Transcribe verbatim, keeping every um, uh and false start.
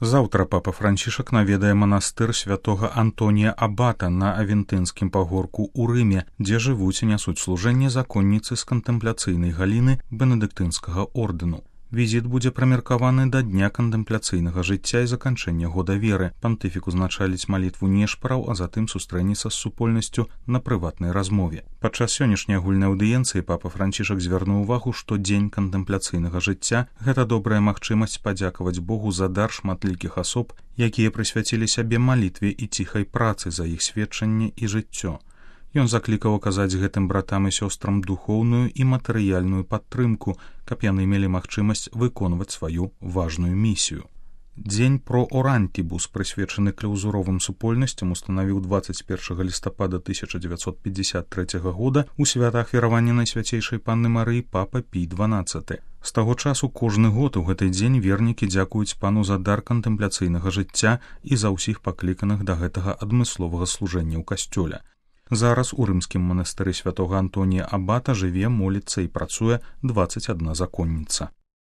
Заўтра папа Францішак наведае манастыр святога Антонія Абата на Авентынскім пагорку ў Рыме, дзе жывуць і нясуць служэнне законніцы з кантэмпляцыйнай галіны бенедыктынскага ордэну. Візіт будзе прымеркаваны да дня кантэмпляцыйнага жыцця і заканчэння года веры. Пантыфік узначаліць малітву нешпараў, а затым сустрэнецца з супольнасцю на прыватнай размове. Падчас сённяшняй агульнай аўдыенцыі папа Францішак звярнуў увагу, што дзень кантэмпляцыйнага жыцця – гэта добрая магчымасць падзякаваць Богу за дар шматлікіх асоб, якія прысвяцілі сябе малітве і ціхай працы за іх сведчанне і жыццё. Ён заклікаў аказаць гэтым братам і сёстрам духоўную і матэрыяльную падтрымку, каб яны мелі магчымасць выконваць сваю важную місію. Дзень про орантібус, прысвечаны клаўзуровым супольнасцям, устанавіў дваццаць першага лістапада тысяча дзевяцьсот пятьдесят трэцяга года ў святах веравання Найсвяцейшай Панны Марыі папа Пій дванаццаты. З таго часу кожны год у гэты дзень вернікі дзякуюць пану за дар кантэмпляцыйнага жыцця і за ўсіх пакліканых да гэтага адмысловага служэння ў касцёле. Зараз у рымскім манастыры святога Антонія Абата жыве, моліцца і працуе дваццаць адна законніца.